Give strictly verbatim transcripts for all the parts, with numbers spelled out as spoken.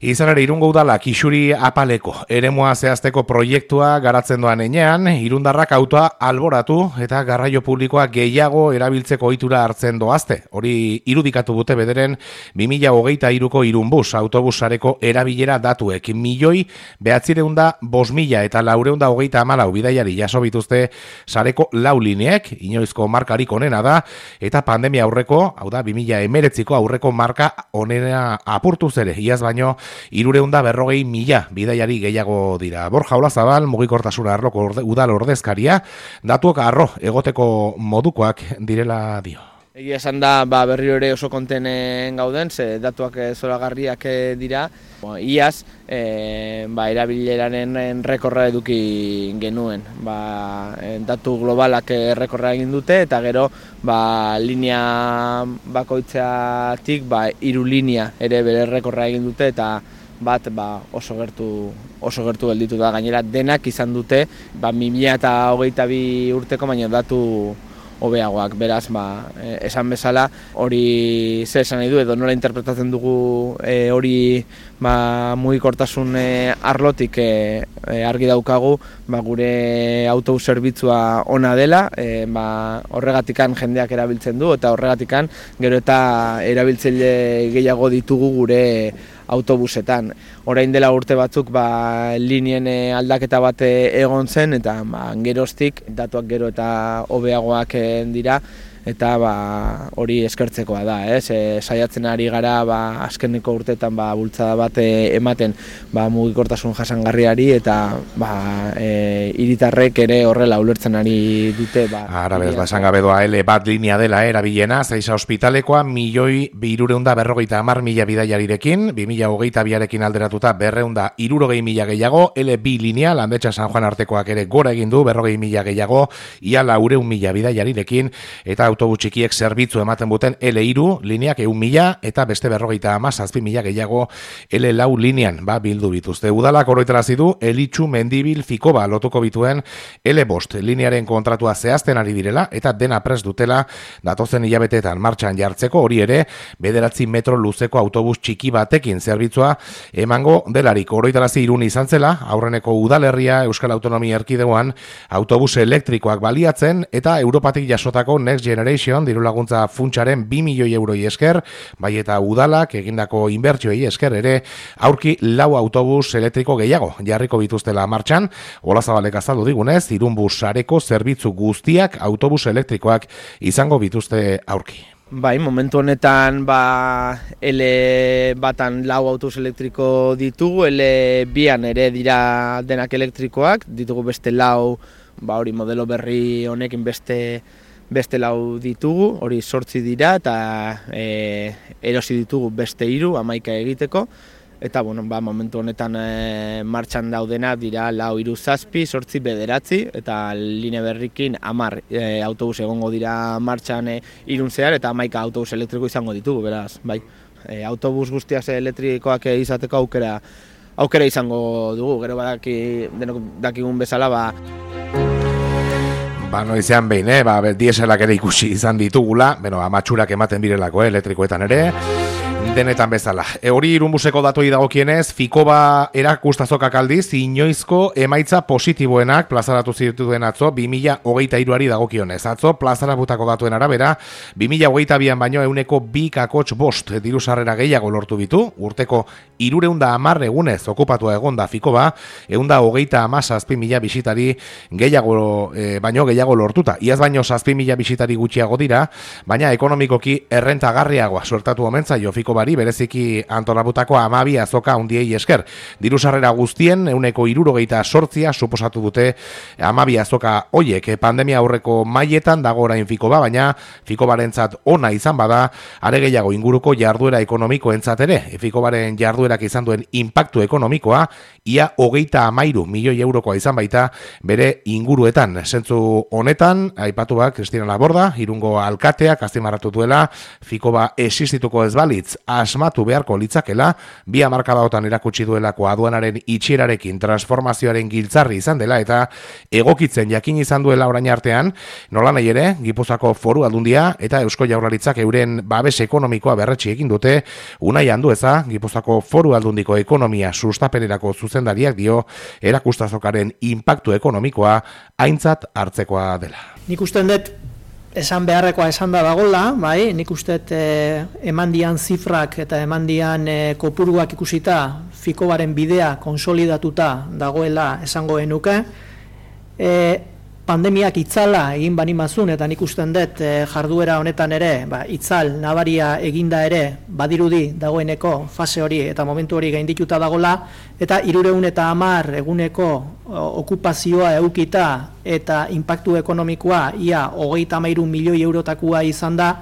Izan ere, Irungo udalak isuri apaleko eremua zehazteko proiektua garatzen doan enean, irundarrak autoa alboratu eta garraio publikoa gehiago erabiltzeko ohitura hartzen doazte. Hori irudikatu dute bederen bi mila hogeita hiruko Irunbus autobusareko erabilera datuek. Milioi behatzireunda bost mila eta laureunda hogeita hamalau bidaiari jaso bituzte sareko lau lineek, inoizko markarik onena da, eta pandemia aurreko, hau da, bi mila hemeretziko aurreko marka onena apurtuz ere, iaz baino, irureunda berrogei mila bidaiari gehiago dira. Borja Olazabal, mugikortasuna arloko orde, udal ordezkaria, datuak arro egoteko modukoak direla dio. Egia esan da, ba, berriro ere oso kontenen gauden, ze datuak zoragarriak dira. Bo, iaz, e, ba, erabileraren rekorra eduki genuen. Ba, datu globalak rekorra egin dute, eta gero ba, linea bakoitzatik ba, hiru linea ere bere rekorra egin dute, eta bat ba, oso gertu oso gertu gelditu da. Gainera denak izan dute ba, bi mila hogeita bi urteko baina datu hobeagoak, beraz, ba, esan bezala, hori zer esan nahi du, edo nola interpretatzen dugu e, hori ba, mugikortasun e, arlotik e, e, argi daukagu, ba, gure autobus zerbitzua ona dela, e, ba, horregatikan jendeak erabiltzen du, eta horregatikan gero eta erabiltzaile gehiago ditugu gure autobusetan. Orain dela urte batzuk ba, linien aldaketa bat egon zen, eta ba, geroztik datuak gero eta hobeagoak dira, eta ba, hori eskertzekoa da, ez? E, saiatzen ari gara ba, azkeneko urteetan ba, bultzada bat ematen ba, mugikortasun jasangarriari, eta ba, e, hiritarrek ere horrela ulertzen ari dute. Ba, Ara bez, ba, esan gabe doa L bat linea dela erabilena, Zaiza ospitalekoa milioi hirureunda berrogeita hamar mila bidaiarirekin, bi mila hogeita biarekin alderatuta berreunda hirurogei mila gehiago, L bi linea, Landetxa San Juan artekoak ere gora egin du, berrogei mila gehiago, ia laureun mila bidaiarirekin, eta autobus txikiek zerbitzu ematen buten L hiru lineak ehun mila eta beste berrogeita hamazazpi mila gehiago L lau linean ba, bildu bituzte. Udalak oroitarazi du Elitxu Mendibil Fikoba lotuko bituen L bost linearen kontratua zehazten ari direla eta dena prest dutela datozen hilabeteetan martxan jartzeko, hori ere bederatzi metro luzeko autobus txiki batekin zerbitzua emango delarik. Oroitarazi Irun izan zela, aurreneko udalerria Euskal Autonomia Erkidegoan autobus elektrikoak baliatzen eta Europatik jasotako Next Generation diru laguntza funtsaren bi milioi euroi esker, bai eta udalak egindako inbertsioei esker ere aurki lau autobus elektriko gehiago jarriko bituztela martxan. Olazabalek azaldu digunez, Irunbus sareko zerbitzu guztiak autobus elektrikoak izango bituzte aurki. Bai, momentu honetan ba, L batan lau autobus elektriko ditugu, L bian ere dira denak elektrikoak, ditugu beste lau, ba, hori modelo berri honekin beste beste lau ditugu, hori sortzi dira, eta e, erosi ditugu beste hiru, hamaika egiteko, eta bueno, ba, momentu honetan e, martxan daudena dira lau hiru zazpi, sortzi bederatzi, eta line berrikin hamar e, autobus egongo dira martxan e, Irun zehar, eta hamaika autobus elektriko izango ditugu, beraz, bai. E, autobus guztiak elektrikoak izateko aukera, aukera izango dugu, gero badaki, denok dakigun bezala, ba, Ba, noizean behin, eh? Ba, dieselak ere ikusi izan ditugula, bueno, amatxurak ematen birelako, eh? Elektrikoetan ere, denetan bezala. E, hori Irunbuseko datoi dagokienez, Fikoba erakustazokak aldiz, inoizko emaitza positiboenak plazaratu zituen atzo, bi mila hogeita hiruari dagokionez. Atzo, plazaratutako datuen arabera, bi mila hogeita bian baino euneko bi kakotx bost diru sarrera gehiago lortu bitu, urteko irureunda hamar egunez okupatua egonda Fikoba, eunda hogeita hamazazpi mila bisitari gehiago, e, baino gehiago lortuta. Iaz baino zazpi mila bisitari gutxiago dira, baina ekonomikoki errentagarriagoa suertatu omentzaio Fikobari, bereziki antolabutako hamabi azoka handiei esker. Diru sarrera guztien euneko hirurogeita zortzia suposatu dute hamabi azoka hoiek. Pandemia aurreko mailetan dago orain Fikoba, baina Fikobarentzat ona izan bada, are gehiago inguruko jarduera ekonomikoentzat ere. Fikobaren jarduerak izan duen inpaktu ekonomikoa ia hogeita hamairu milioi eurokoa izan baita bere inguruetan. Zentzu honetan, aipatu bak Kristina Laborda, Irungo alkateak azpimarratu duela, Fikoba existituko ez balitz, asmatu beharko litzakela, bi hamarkadaotan erakutsi duelako aduanaren itxierarekin transformazioaren giltzarri izan dela eta egokitzen jakin izan duela orain artean, nola nahi ere, Gipuzkoako Foru Aldundia eta Eusko Jaurlaritzak euren babes ekonomikoa berretsi egin dute. Unai Andueza, Gipuzkoako Foru Aldundiko ekonomia sustapenerako zuzendariak dio erakustazokaren inpaktu ekonomikoa aintzat hartzekoa dela. Nik uste dut esan beharrekoa esan da dagoela, bai, nik uste eh, eman dian zifrak eta eman dian eh, kopuruak ikusita Fikobaren bidea konsolidatuta dagoela esango genuke. Eh, pandemiak itzala egin bani mazun, eta nik usten dut eh, jarduera honetan ere, ba, itzal nabaria eginda ere, badirudi dagoeneko fase hori eta momentu hori gaindituta dagola, eta hirureun eta hamar eguneko okupazioa eukita eta inpaktu ekonomikoa ia hogeita hamairu milioi eurotakua izan da,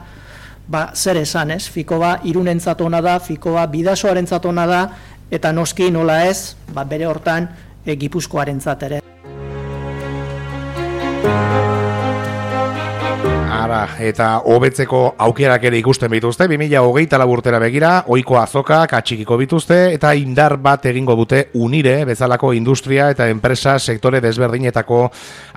ba, zer esan ez, Fikoba Irunentzat ona da, Fikoba Bidasoarentzat ona da, eta noski nola ez, ba, bere hortan e, Gipuzkoarentzat ere. Ara, eta hobetzeko aukerak ere ikusten bituzte, bi mila hogeita lau urtera begira, ohiko azokak atxikiko bituzte, eta indar bat egingo dute Unire, bezalako industria eta enpresa sektore desberdinetako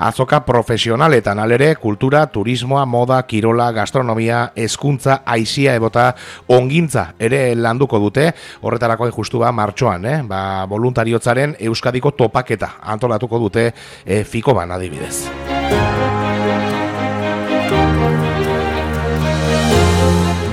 azoka profesionaletan, alere, kultura, turismoa, moda, kirola, gastronomia, hezkuntza, aisia ebota, ongintza ere landuko dute, horretarako justu ba martxoan, eh? ba, voluntariotzaren Euskadiko topaketa antolatuko dute eh, Fikoban adibidez.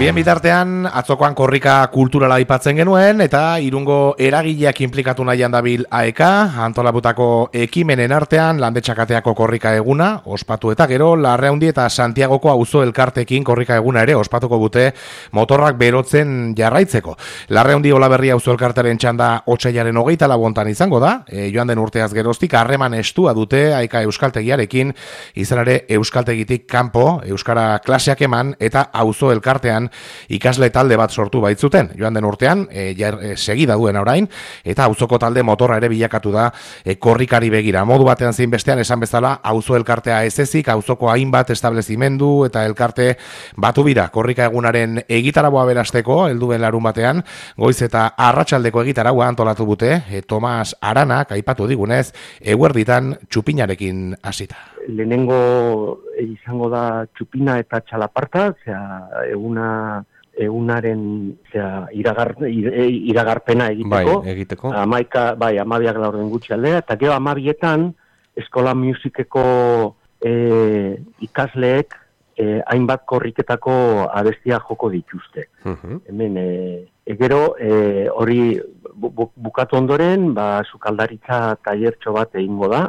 Bien bitartean, atzokoan korrika kulturala aipatzen genuen, eta Irungo eragileak inplikatu nahian dabil A E K, antolabutako ekimenen artean, Landetxakateako korrika eguna, ospatu eta gero, Larraundi eta Santiagoko auzo elkartekin korrika eguna ere, ospatuko dute motorrak berotzen jarraitzeko. Larraundi Olaberria auzo elkartaren txanda otsailaren hogeita labontan izango da, e, joan den urteaz geroztik, harreman estua dute A E K euskaltegiarekin, izan ere euskaltegitik kanpo, euskara klaseak eman, eta auzo elkartean ikasle talde bat sortu baitzuten. Joan den urtean, e, jar, e, segida duen orain, eta auzoko talde motorra ere bilakatu da e, korrikari begira. Modu batean zein bestean esan bezala, auzo elkartea ez ezik, auzoko hainbat establezimendu eta elkarte batu bira. Korrika egunaren egitaragoa berasteko, helduen larun batean, goiz eta arratsaldeko egitaragoa antolatu dute, e, Tomas Aranak aipatu digunez, eguerditan txupinarekin hasita. Lehenengo izango da txupina eta txalaparta, zera, eguna, egunaren zera, iragar, iragarpena egiteko. Bai, egiteko. Amaika, bai, amabiak laurden gutxi aldea, eta gero amabietan eskola musikeko e, ikasleek e, hainbat korriketako abestia joko dituzte. Uh-huh. Hemen, e, gero, e, hori bu, bukatu ondoren, ba, sukaldaritza tailertxo bat egingo da,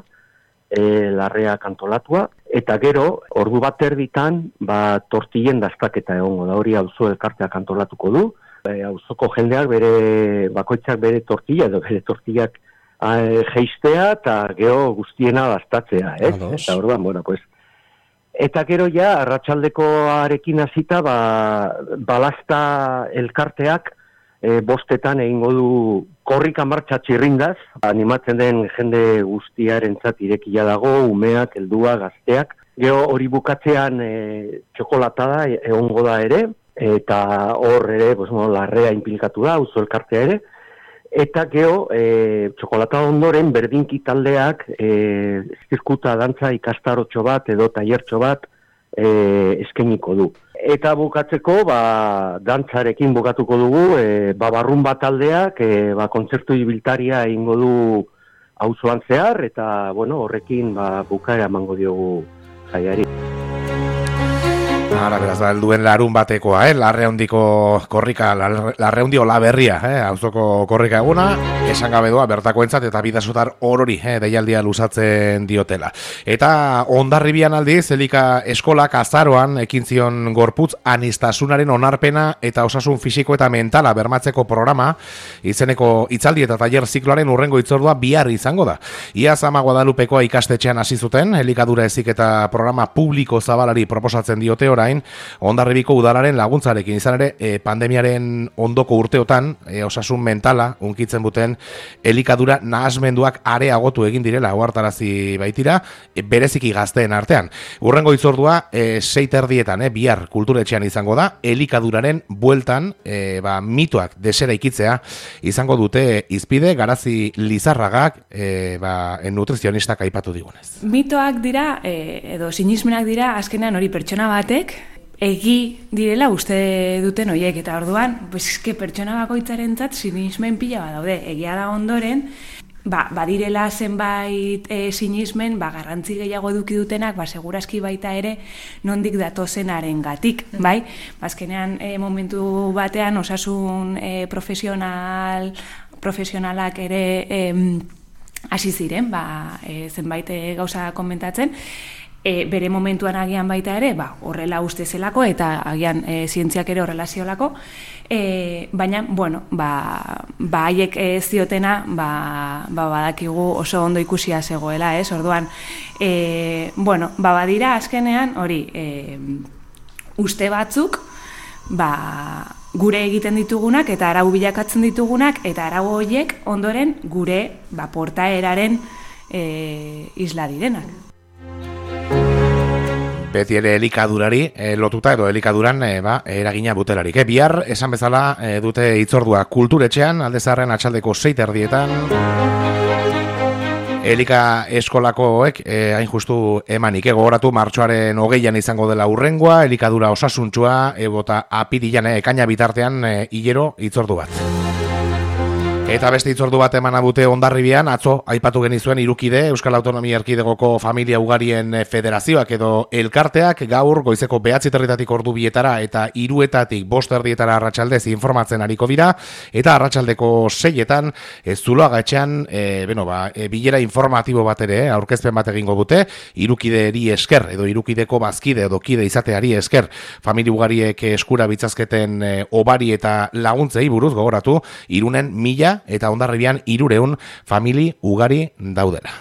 E, larrea kantolatua, eta gero, ordu bat erditan, ba, tortillen daztaketa egongo da, hori auzo elkarteak kantolatuko du, e, auzoko jendeak bere, bakoitzak bere tortilla, edo bere tortillak e, geistea, eta gero guztiena daztatzea, ez? Eta orduan, bueno, pues, eta gero ja, arratsaldekoarekin hasita, ba, balazta elkarteak, E, bostetan egingo du korrika martxa txirrindaz, animatzen den jende guztiarentzat irekia dago, umeak, heldua, gazteak. Gero hori bukatzean e, txokolatada egongo da ere, eta hor ere, pues, bueno, larrea inplikatu da, auzo elkartea ere. Eta gero, e, txokolatada ondoren, berdinki taldeak, e, zirkuta dantza ikastarotxo bat edo tailertxo bat e, eskainiko du. Eta bukatzeko, ba, dantzarekin bukatuko dugu, e, ba, barrumba taldeak, e, ba, kontzertu ibiltaria egingo du auzoan zehar, eta, bueno, horrekin, ba, bukaera emango diogu jaiari. Ara, beraz, da, helduen larun batekoa, eh? Larreundiko korrika, Larreundi Olaberria, eh? Auzoko korrika eguna, esan gabe doa, bertako entzat, eta bidazotar orori, eh? Deialdia luzatzen diotela. Eta Hondarribian aldiz, Elika eskolak azaroan, ekin zion gorputz anistasunaren onarpena eta osasun fisiko eta mentala bermatzeko programa, izeneko hitzaldi eta tailer zikloaren urrengo hitzordua bihar izango da. Iaz Ama Guadalupekoa ikastetxean hasi zuten, elikadura ezik eta programa publiko zabalari proposatzen diote orain, gain, Hondarribiko udalaren laguntzarekin izan ere e, pandemiaren ondoko urteotan e, osasun mentala unkitzen buten elikadura nahasmenduak areagotu egin direla ohartarazi baitira, e, bereziki gazteen artean. Hurrengo hitzordua e, sei terdietan, e, bihar kulturetxean izango da, elikaduraren bueltan e, ba, mitoak desera ikitzea izango dute izpide Garazi Lizarragak e, ba, nutrizionistak aipatu digunez. Mitoak dira, e, edo sinismenak dira, azkenean hori pertsona batek, egi direla uste duten horiek, eta orduan, pues, eske pertsona bakoitzarentzat sinismen pila bat daude, egia da ondoren, ba, badirela zenbait e, sinismen, ba, garrantzi gehiago eduki dutenak, ba, segurazki baita ere nondik datozenaren gatik, bai? Azkenean e, momentu batean osasun e, profesional, profesionalak ere e, hasi ziren, ba, e, zenbait e, gauza komentatzen, E, bere momentuan agian baita ere, ba, horrela uste zelako, eta agian e, zientziak ere horrela ziolako, e, baina, bueno, ba, ba haiek e, ziotena, ba, ba, badakigu oso ondo ikusia zegoela, ez? Orduan, e, bueno, ba, badira azkenean, hori, e, uste batzuk, ba, gure egiten ditugunak, eta arau bilakatzen ditugunak, eta arau horiek ondoren gure, ba, portaeraren e, isla direnak. Beti ere elikadurari e, lotuta edo elikaduran e, ba, eragina butelarik. E, bihar, esan bezala, e, dute hitzordua kulturetxean, alde zaharren atxaldeko sei terdietan, elika eskolakoek e, hain justu emanik. E, gogoratu martxoaren hogeian izango dela hurrengoa, elikadura osasuntsua, ebota apirilan, e, ekaina bitartean, e, hilero hitzordu bat. Eta beste hitzordu bat emana dute Hondarribian, atzo aipatu genizuen Hirukide, Euskal Autonomia Erkidegoko Familia Ugarien Federazioak edo elkarteak gaur goizeko behatzi territatik ordu bietara eta hiruetatik bost erdietara arratsaldez informatzen ariko dira, eta arratsaldeko seietan e, Zuloaga etxean e, beno, ba, e, bilera informatibo bat ere, aurkezpen bat egingo dute, Hirukideeri esker edo Hirukideko bazkide edo kide izateari esker Familia Ugariek eskura bitzazketen e, obari eta laguntzei buruz gogoratu, Irunen mila eta Hondarribian hirureun famili ugari daudela.